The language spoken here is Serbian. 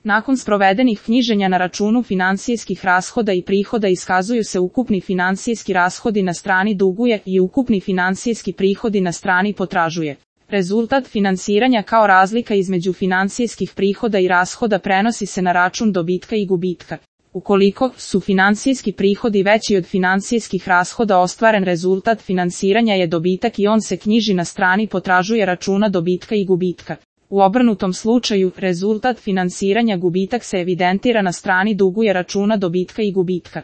Nakon sprovedenih knjiženja na računu financijskih rashoda i prihoda iskazuju se ukupni financijski rashodi na strani duguje i ukupni financijski prihodi na strani potražuje. Rezultat finansiranja kao razlika između financijskih prihoda i rashoda prenosi se na račun dobitka i gubitka. Ukoliko su financijski prihodi veći od financijskih rashoda, ostvaren rezultat finansiranja je dobitak i on se knjiži na strani potražuje računa dobitka i gubitka. U obrnutom slučaju, rezultat finansiranja gubitak se evidentira na strani duguje računa dobitka i gubitka.